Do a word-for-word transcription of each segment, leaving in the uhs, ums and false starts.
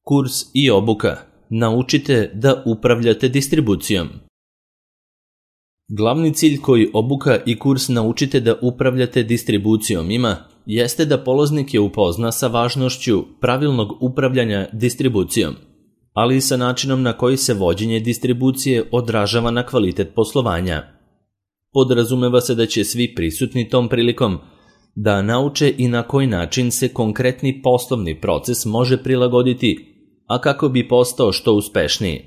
Kurs i obuka. Naučite da upravljate distribucijom. Glavni cilj koji obuka i kurs Naučite da upravljate distribucijom ima jeste da polaznik je upozna sa važnošću pravilnog upravljanja distribucijom, ali i sa načinom na koji se vođenje distribucije odražava na kvalitet poslovanja. Podrazumeva se da će svi prisutni tom prilikom da nauče i na koji način se konkretni poslovni proces može prilagoditi, a kako bi postao što uspešniji.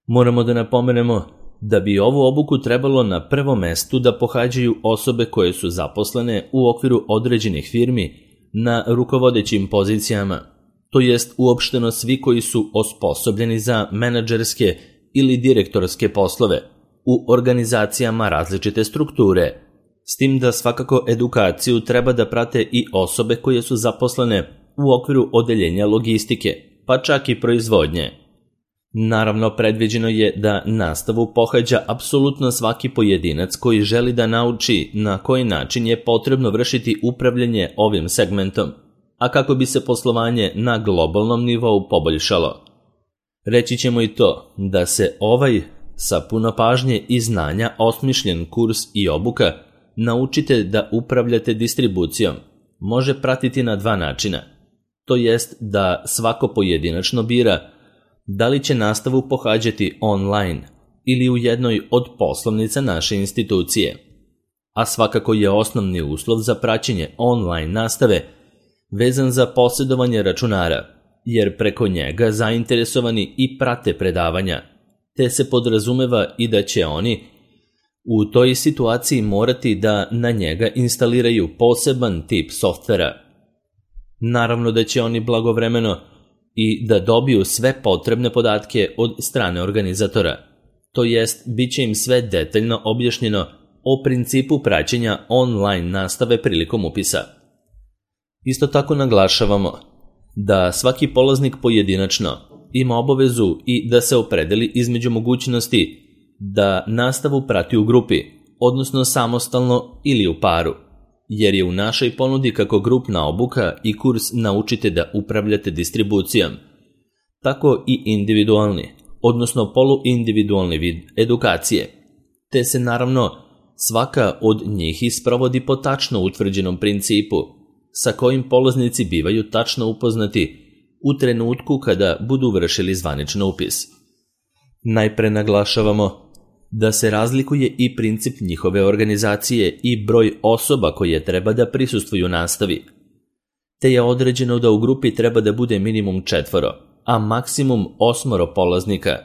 Moramo da napomenemo da bi ovu obuku trebalo na prvom mestu da pohađaju osobe koje su zaposlene u okviru određenih firmi na rukovodećim pozicijama, to jest uopšteno svi koji su osposobljeni za menadžerske ili direktorske poslove u organizacijama različite strukture, s tim da svakako edukaciju treba da prate i osobe koje su zaposlene u okviru odeljenja logistike, pa čak i proizvodnje. Naravno, predviđeno je da nastavu pohađa apsolutno svaki pojedinac koji želi da nauči na koji način je potrebno vršiti upravljanje ovim segmentom, a kako bi se poslovanje na globalnom nivou poboljšalo. Reći ćemo i to da se ovaj sa puno pažnje i znanja osmišljen kurs i obuka Naučite da upravljate distribucijom može pratiti na dva načina, to jest da svako pojedinačno bira da li će nastavu pohađati online ili u jednoj od poslovnica naše institucije. A svakako je osnovni uslov za praćenje online nastave vezan za posjedovanje računara, jer preko njega zainteresovani i prate predavanja, te se podrazumeva i da će oni u toj situaciji morati da na njega instaliraju poseban tip softvera. Naravno da će oni blagovremeno i da dobiju sve potrebne podatke od strane organizatora, to jest bit će im sve detaljno objašnjeno o principu praćenja online nastave prilikom upisa. Isto tako naglašavamo da svaki polaznik pojedinačno ima obavezu i da se opredeli između mogućnosti da nastavu prati u grupi, odnosno samostalno ili u paru, jer je u našoj ponudi kako grupna obuka i kurs Naučite da upravljate distribucijom, tako i individualni, odnosno poluindividualni vid edukacije, te se naravno svaka od njih isprovodi po tačno utvrđenom principu, sa kojim polaznici bivaju tačno upoznati u trenutku kada budu vršili zvaničan upis. Najpre naglašavamo da se razlikuje i princip njihove organizacije i broj osoba koje treba da prisustvuju nastavi, te je određeno da u grupi treba da bude minimum četvoro, a maksimum osmoro polaznika.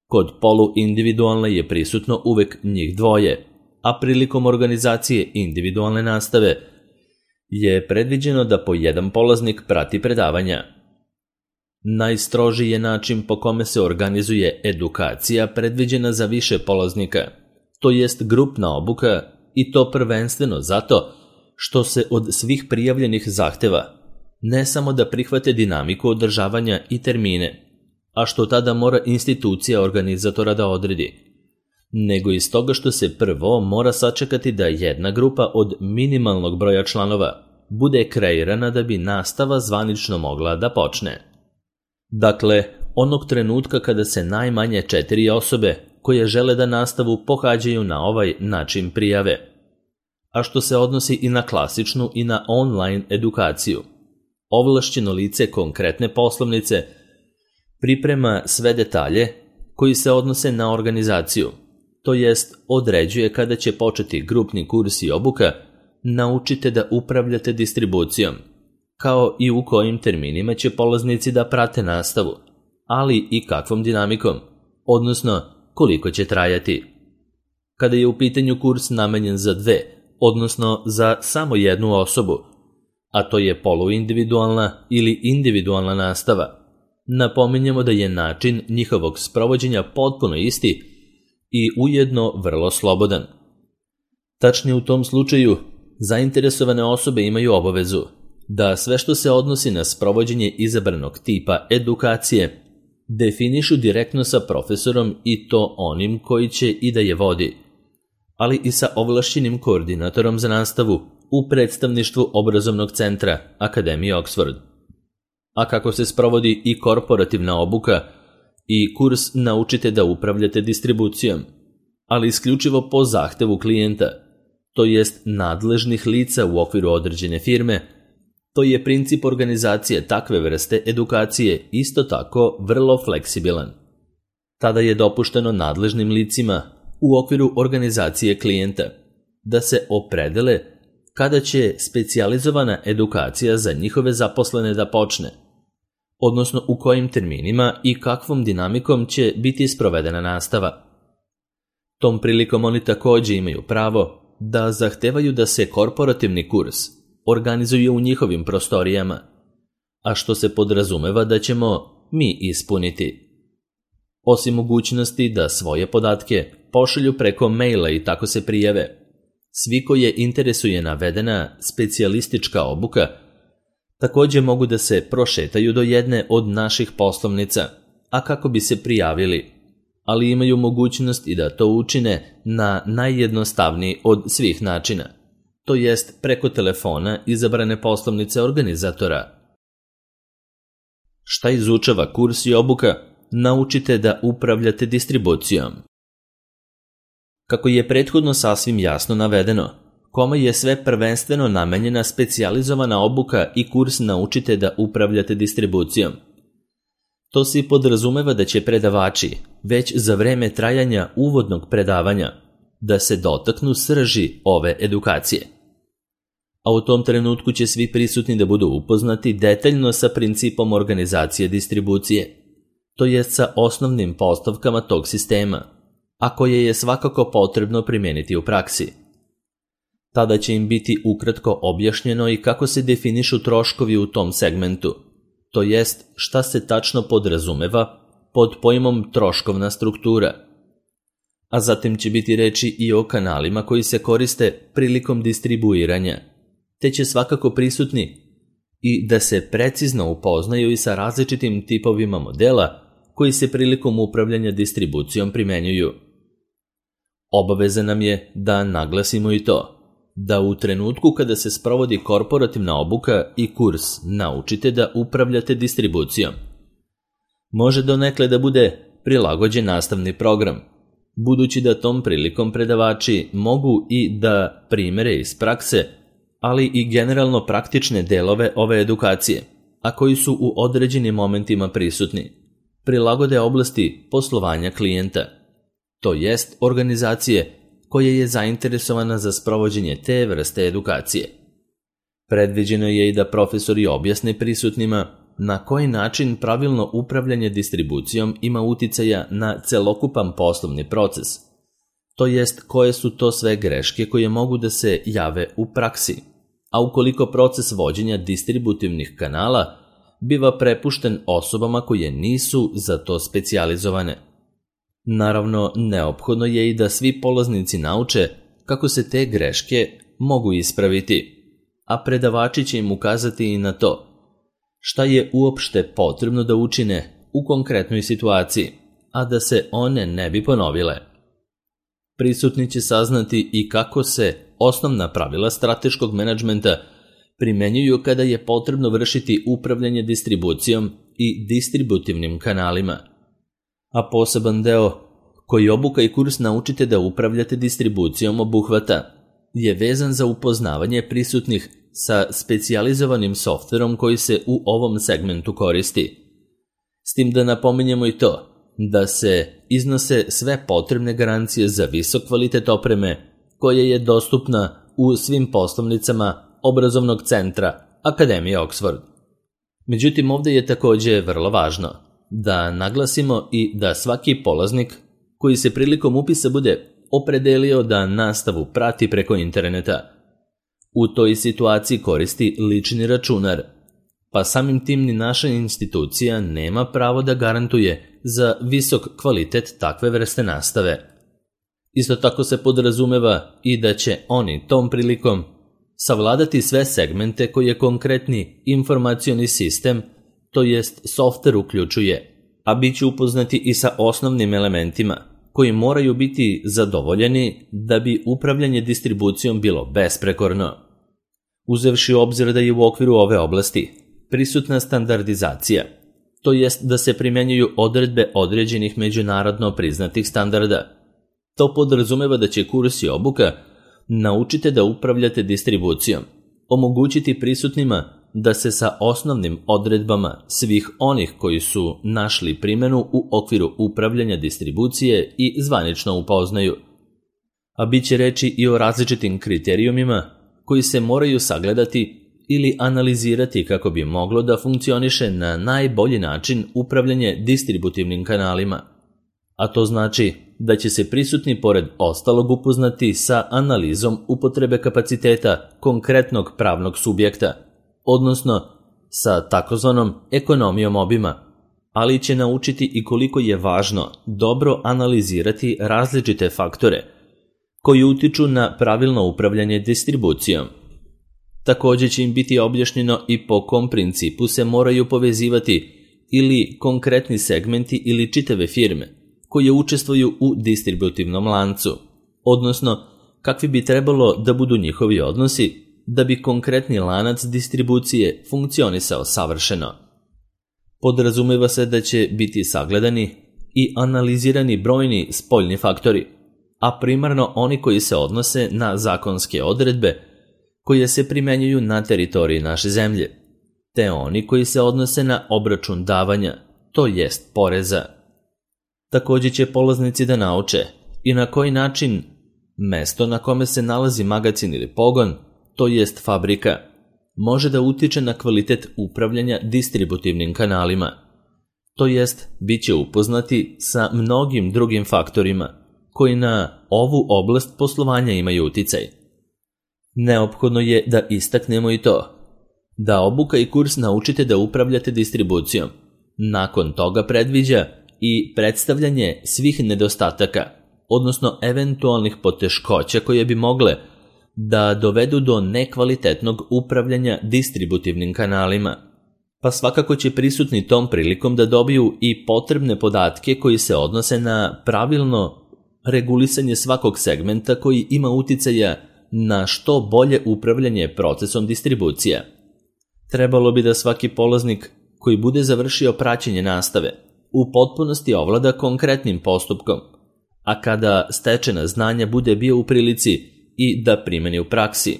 Kod poluindividualne je prisutno uvek njih dvoje, a prilikom organizacije individualne nastave je predviđeno da po jedan polaznik prati predavanja. Najstrožiji je način po kome se organizuje edukacija predviđena za više polaznika, to jest grupna obuka, i to prvenstveno zato što se od svih prijavljenih zahteva ne samo da prihvate dinamiku održavanja i termine, a što tada mora institucija organizatora da odredi, nego iz toga što se prvo mora sačekati da jedna grupa od minimalnog broja članova bude kreirana da bi nastava zvanično mogla da počne. Dakle, onog trenutka kada se najmanje četiri osobe koje žele da nastavu pohađaju na ovaj način prijave, a što se odnosi i na klasičnu i na online edukaciju. Ovlašćeno lice konkretne poslovnice priprema sve detalje koji se odnose na organizaciju, to jest određuje kada će početi grupni kurs i obuka Naučite da upravljate distribucijom, kao i u kojim terminima će polaznici da prate nastavu, ali i kakvom dinamikom, odnosno koliko će trajati. Kada je u pitanju kurs namenjen za dve, odnosno za samo jednu osobu, a to je poluindividualna ili individualna nastava, napominjemo da je način njihovog sprovođenja potpuno isti i ujedno vrlo slobodan. Tačnije u tom slučaju, zainteresovane osobe imaju obavezu da sve što se odnosi na sprovođenje izabranog tipa edukacije definišu direktno sa profesorom i to onim koji će i da je vodi, ali i sa ovlašćenim koordinatorom za nastavu u predstavništvu obrazovnog centra Akademije Oxford. a kako se sprovodi i korporativna obuka i kurs Naučite da upravljate distribucijom, ali isključivo po zahtevu klijenta, to jest nadležnih lica u okviru određene firme. To je princip organizacije takve vrste edukacije isto tako vrlo fleksibilan. Tada je dopušteno nadležnim licima u okviru organizacije klijenta da se opredele kada će specijalizovana edukacija za njihove zaposlene da počne, odnosno u kojim terminima i kakvom dinamikom će biti sprovedena nastava. Tom prilikom oni također imaju pravo da zahtevaju da se korporativni kurs organizuje u njihovim prostorijama, a što se podrazumeva da ćemo mi ispuniti. Osim mogućnosti da svoje podatke pošalju preko maila i tako se prijave, svi koje interesuje navedena specijalistička obuka također mogu da se prošetaju do jedne od naših poslovnica, a kako bi se prijavili, ali imaju mogućnost i da to učine na najjednostavniji od svih načina, to jest preko telefona izabrane poslovnice organizatora. Šta izučava kurs i obuka Naučite da upravljate distribucijom? Kako je prethodno sasvim jasno navedeno, kome je sve prvenstveno namenjena specijalizovana obuka i kurs Naučite da upravljate distribucijom. To se podrazumeva da će predavači, već za vreme trajanja uvodnog predavanja, da se dotaknu srži ove edukacije. A u tom trenutku će svi prisutni da budu upoznati detaljno sa principom organizacije distribucije, to jest sa osnovnim postavkama tog sistema, a koje je svakako potrebno primijeniti u praksi. Tada će im biti ukratko objašnjeno i kako se definišu troškovi u tom segmentu, to jest šta se tačno podrazumeva pod pojmom troškovna struktura. A zatim će biti reči i o kanalima koji se koriste prilikom distribuiranja, te će svakako prisutni i da se precizno upoznaju i sa različitim tipovima modela koji se prilikom upravljanja distribucijom primenjuju. Obaveza nam je da naglasimo i to, da u trenutku kada se sprovodi korporativna obuka i kurs Naučite da upravljate distribucijom, može donekle da bude prilagođen nastavni program, budući da tom prilikom predavači mogu i da primere iz prakse, ali i generalno praktične delove ove edukacije, a koji su u određenim momentima prisutni, prilagode oblasti poslovanja klijenta, to jest organizacije koja je zainteresovana za sprovođenje te vrste edukacije. Predviđeno je i da profesori objasne prisutnima na koji način pravilno upravljanje distribucijom ima uticaja na celokupan poslovni proces, to jest koje su to sve greške koje mogu da se jave u praksi, a ukoliko proces vođenja distributivnih kanala biva prepušten osobama koje nisu za to specijalizovane. Naravno, neophodno je i da svi polaznici nauče kako se te greške mogu ispraviti, a predavači će im ukazati i na to šta je uopšte potrebno da učine u konkretnoj situaciji, a da se one ne bi ponovile. Prisutni će saznati i kako se osnovna pravila strateškog menadžmenta primenjuju kada je potrebno vršiti upravljanje distribucijom i distributivnim kanalima. A poseban deo koji obuka i kurs Naučite da upravljate distribucijom obuhvata je vezan za upoznavanje prisutnih sa specijalizovanim softverom koji se u ovom segmentu koristi. S tim da napominjemo i to da se iznose sve potrebne garancije za visok kvalitet opreme koja je dostupna u svim poslovnicama obrazovnog centra Akademije Oxford. Međutim, ovdje je također vrlo važno da naglasimo i da svaki polaznik koji se prilikom upisa bude opredelio da nastavu prati preko interneta, u toj situaciji koristi lični računar, pa samim tim ni naša institucija nema pravo da garantuje za visok kvalitet takve vrste nastave. Isto tako se podrazumeva i da će oni tom prilikom savladati sve segmente koje konkretni informacioni sistem, to jest softver uključuje, a bit će upoznati i sa osnovnim elementima koji moraju biti zadovoljeni da bi upravljanje distribucijom bilo besprekorno. Uzevši u obzir da je u okviru ove oblasti prisutna standardizacija, to jest da se primjenjuju odredbe određenih međunarodno priznatih standarda. To podrazumeva da će kurs i obuka naučite da upravljate distribucijom, omogućiti prisutnima da se sa osnovnim odredbama svih onih koji su našli primjenu u okviru upravljanja distribucije i zvanično upoznaju. A bit će reći i o različitim kriterijumima koji se moraju sagledati ili analizirati kako bi moglo da funkcioniše na najbolji način upravljanje distributivnim kanalima. A to znači da će se prisutni pored ostalog upoznati sa analizom upotrebe kapaciteta konkretnog pravnog subjekta, odnosno sa takozvanom ekonomijom obima, ali će naučiti i koliko je važno dobro analizirati različite faktore koji utiču na pravilno upravljanje distribucijom. Također će im biti objašnjeno i po kom principu se moraju povezivati ili konkretni segmenti ili čitave firme koje učestvuju u distributivnom lancu, odnosno kakvi bi trebalo da budu njihovi odnosi da bi konkretni lanac distribucije funkcionisao savršeno. Podrazumeva se da će biti sagledani i analizirani brojni spoljni faktori, a primarno oni koji se odnose na zakonske odredbe koje se primjenjuju na teritoriji naše zemlje, te oni koji se odnose na obračun davanja, to jest poreza. Također će polaznici da nauče i na koji način mesto na kome se nalazi magacin ili pogon, to jest fabrika, može da utiče na kvalitet upravljanja distributivnim kanalima, to jest bit će upoznati sa mnogim drugim faktorima koji na ovu oblast poslovanja imaju uticaj. Neophodno je da istaknemo i to, da obuka i kurs naučite da upravljate distribucijom. Nakon toga predviđa i predstavljanje svih nedostataka, odnosno eventualnih poteškoća koje bi mogle da dovedu do nekvalitetnog upravljanja distributivnim kanalima. Pa svakako će prisutni tom prilikom da dobiju i potrebne podatke koji se odnose na pravilno regulisanje svakog segmenta koji ima uticaja na što bolje upravljanje procesom distribucija. Trebalo bi da svaki polaznik koji bude završio praćenje nastave u potpunosti ovlada konkretnim postupkom, a kada stečena znanja bude bio u prilici i da primeni u praksi.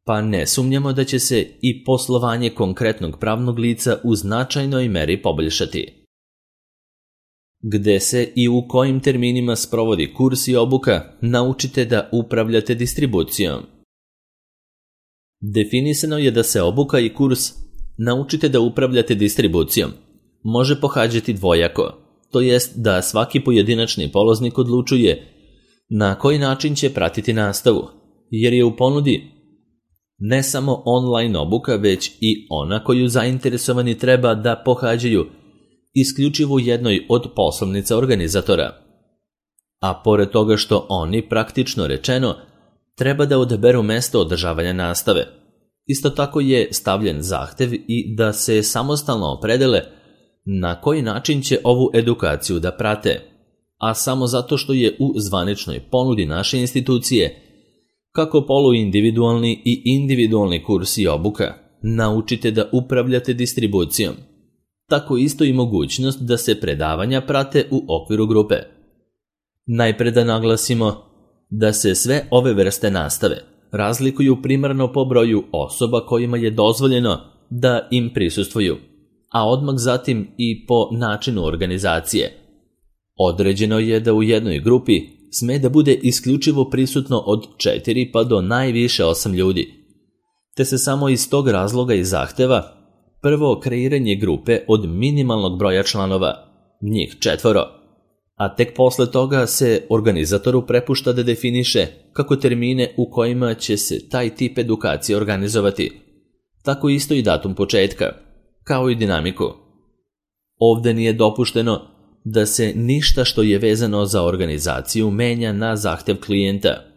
Pa ne sumnjamo da će se i poslovanje konkretnog pravnog lica u značajnoj meri poboljšati. Gde se i u kojim terminima sprovodi kurs i obuka, naučite da upravljate distribucijom. Definisano je da se obuka i kurs naučite da upravljate distribucijom može pohađati dvojako, to jest da svaki pojedinačni polaznik odlučuje na koji način će pratiti nastavu, jer je u ponudi ne samo online obuka, već i ona koju zainteresovani treba da pohađaju isključivo u jednoj od poslovnica organizatora. A pored toga što oni, praktično rečeno, treba da odaberu mesto održavanja nastave. Isto tako je stavljen zahtev i da se samostalno opredele na koji način će ovu edukaciju da prate, a samo zato što je u zvaničnoj ponudi naše institucije, kako poluindividualni i individualni kurs i obuka, naučite da upravljate distribucijom. Tako isto i mogućnost da se predavanja prate u okviru grupe. Najpre da naglasimo da se sve ove vrste nastave razlikuju primarno po broju osoba kojima je dozvoljeno da im prisustvuju, a odmah zatim i po načinu organizacije. Određeno je da u jednoj grupi sme da bude isključivo prisutno od četiri pa do najviše osam ljudi, te se samo iz tog razloga i zahteva prvo kreiranje grupe od minimalnog broja članova, njih četvoro, a tek posle toga se organizatoru prepušta da definiše kako termine u kojima će se taj tip edukacije organizovati, tako isto i datum početka, kao i dinamiku. Ovde nije dopušteno da se ništa što je vezano za organizaciju menja na zahtev klijenta,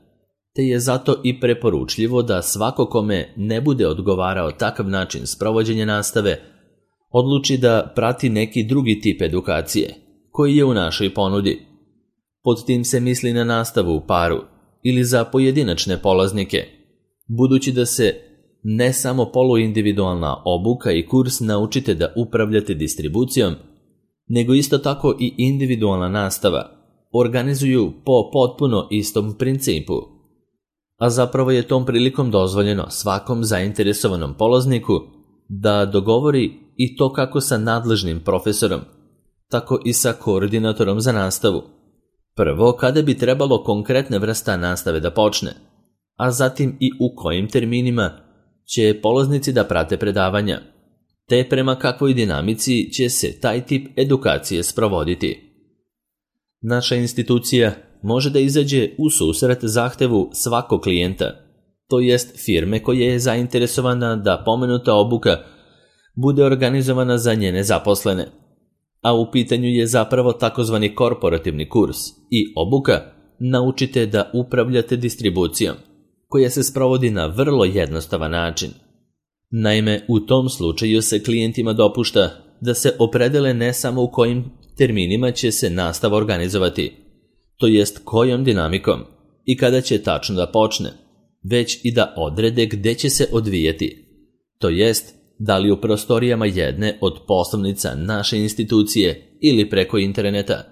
te je zato i preporučljivo da svako kome ne bude odgovarao takav način sprovođenja nastave, odluči da prati neki drugi tip edukacije, koji je u našoj ponudi. Pod tim se misli na nastavu u paru ili za pojedinačne polaznike, budući da se ne samo poluindividualna obuka i kurs Naučite da upravljate distribucijom, nego isto tako i individualna nastava organizuju po potpuno istom principu. A zapravo je tom prilikom dozvoljeno svakom zainteresovanom polazniku da dogovori i to kako sa nadležnim profesorom, tako i sa koordinatorom za nastavu. Prvo, kada bi trebalo konkretne vrsta nastave da počne, a zatim i u kojim terminima će polaznici da prate predavanja, te prema kakvoj dinamici će se taj tip edukacije sprovoditi. Naša institucija može da izađe u susret zahtevu svakog klijenta, to jest firme koja je zainteresovana da pomenuta obuka bude organizovana za njene zaposlene, a u pitanju je zapravo takozvani korporativni kurs i obuka Naučite da upravljate distribucijom, koja se sprovodi na vrlo jednostavan način. Naime, u tom slučaju se klijentima dopušta da se opredele ne samo u kojim terminima će se nastava organizovati, to jest kojom dinamikom i kada će tačno da počne, već i da odrede gde će se odvijati, to jest da li u prostorijama jedne od poslovnica naše institucije ili preko interneta,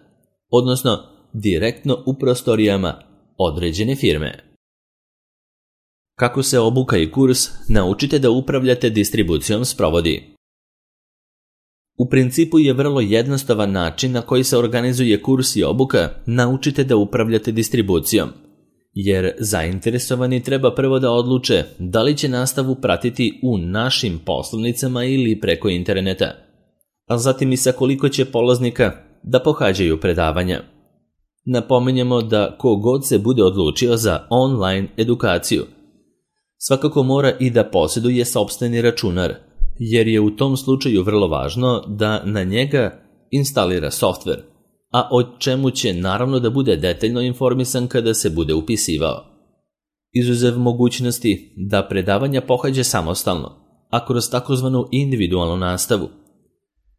odnosno direktno u prostorijama određene firme. Kako se obuka i kurs Naučite da upravljate distribucijom sprovodi? U principu je vrlo jednostavan način na koji se organizuje kurs i obuka Naučite da upravljate distribucijom, jer zainteresovani treba prvo da odluče da li će nastavu pratiti u našim poslovnicama ili preko interneta, a zatim i sa koliko će polaznika da pohađaju predavanja. Napominjemo da kogod se bude odlučio za online edukaciju, svakako mora i da posjeduje sopstveni računar, jer je u tom slučaju vrlo važno da na njega instalira softver, a o čemu će naravno da bude detaljno informisan kada se bude upisivao. Izuzev mogućnosti da predavanja pohađa samostalno, a kroz takozvanu individualnu nastavu.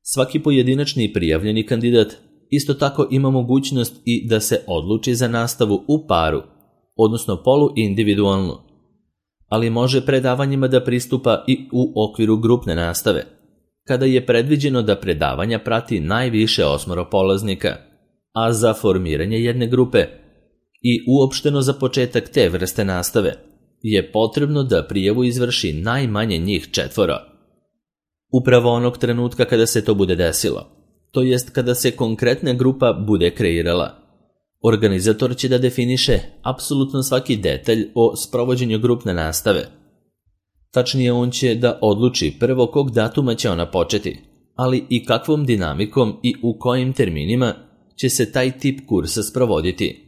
Svaki pojedinačni prijavljeni kandidat isto tako ima mogućnost i da se odluči za nastavu u paru, odnosno poluindividualnu, ali može predavanjima da pristupa i u okviru grupne nastave, kada je predviđeno da predavanja prati najviše osmoro polaznika, a za formiranje jedne grupe i uopšteno za početak te vrste nastave je potrebno da prijavu izvrši najmanje njih četvoro. Upravo onog trenutka kada se to bude desilo, to jest kada se konkretna grupa bude kreirala, organizator će da definiše apsolutno svaki detalj o sprovođenju grupne nastave. Tačnije, on će da odluči prvo kog datuma će ona početi, ali i kakvom dinamikom i u kojim terminima će se taj tip kursa sprovoditi.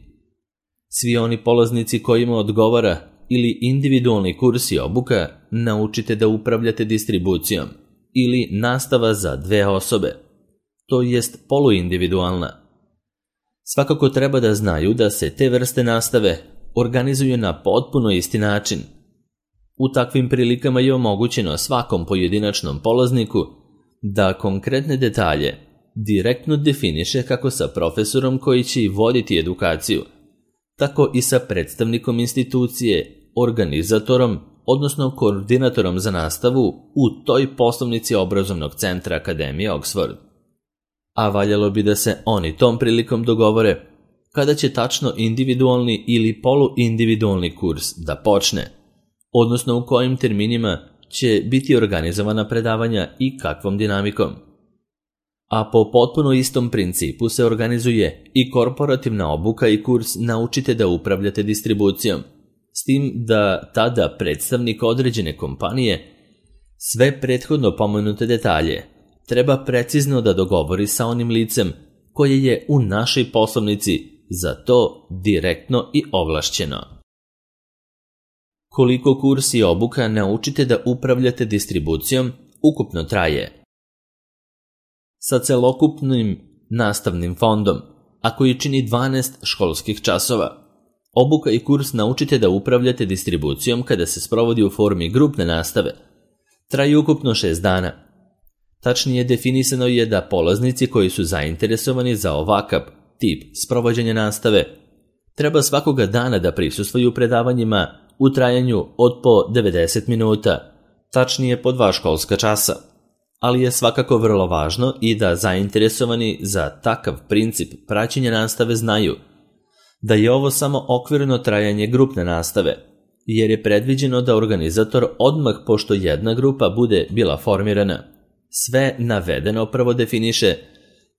Svi oni polaznici kojima odgovara ili individualni kurs i obuka Naučite da upravljate distribucijom ili nastava za dve osobe, to jest poluindividualna, svakako treba da znaju da se te vrste nastave organizuju na potpuno isti način. U takvim prilikama je omogućeno svakom pojedinačnom polazniku da konkretne detalje direktno definiše kako sa profesorom koji će i voditi edukaciju, tako i sa predstavnikom institucije, organizatorom, odnosno koordinatorom za nastavu u toj poslovnici obrazovnog centra Akademije Oxford. A valjalo bi da se oni tom prilikom dogovore kada će tačno individualni ili poluindividualni kurs da počne, odnosno u kojim terminima će biti organizovana predavanja i kakvom dinamikom. A po potpuno istom principu se organizuje i korporativna obuka i kurs Naučite da upravljate distribucijom, s tim da tada predstavnik određene kompanije sve prethodno pomenute detalje treba precizno da dogovori sa onim licem koje je u našoj poslovnici za to direktno i ovlašćeno. Koliko kurs i obuka Naučite da upravljate distribucijom ukupno traje? Sa celokupnim nastavnim fondom, a koji čini dvanaest školskih časova, obuka i kurs Naučite da upravljate distribucijom kada se sprovodi u formi grupne nastave traju ukupno šest dana. Tačnije, definisano je da polaznici koji su zainteresovani za ovakav tip sprovođenja nastave treba svakoga dana da prisustvuju predavanjima u trajanju od po devedeset minuta tačnije po dva školska časa, ali je svakako vrlo važno i da zainteresovani za takav princip praćenja nastave znaju da je ovo samo okvirno trajanje grupne nastave, jer je predviđeno da organizator odmah pošto jedna grupa bude bila formirana, sve navedeno prvo definiše,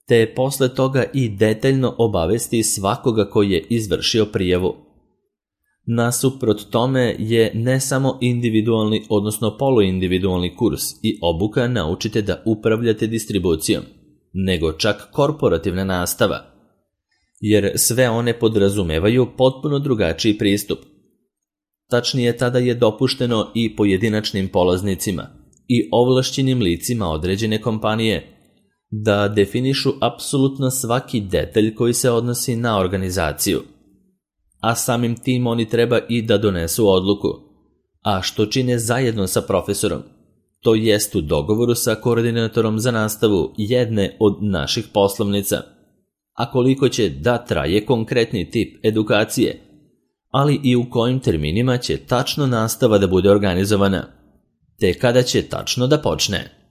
te posle toga i detaljno obavesti svakoga koji je izvršio prijavu. Nasuprot tome je ne samo individualni, odnosno poluindividualni kurs i obuka naučite da upravljate distribucijom, nego čak korporativna nastava, jer sve one podrazumevaju potpuno drugačiji pristup. Tačnije, tada je dopušteno i pojedinačnim polaznicima i ovlašćenim licima određene kompanije da definišu apsolutno svaki detalj koji se odnosi na organizaciju, a samim tim oni treba i da donesu odluku, a što čine zajedno sa profesorom, to jest u dogovoru sa koordinatorom za nastavu jedne od naših poslovnica, a koliko će da traje konkretni tip edukacije, ali i u kojim terminima će tačno nastava da bude organizovana, te kada će tačno da počne.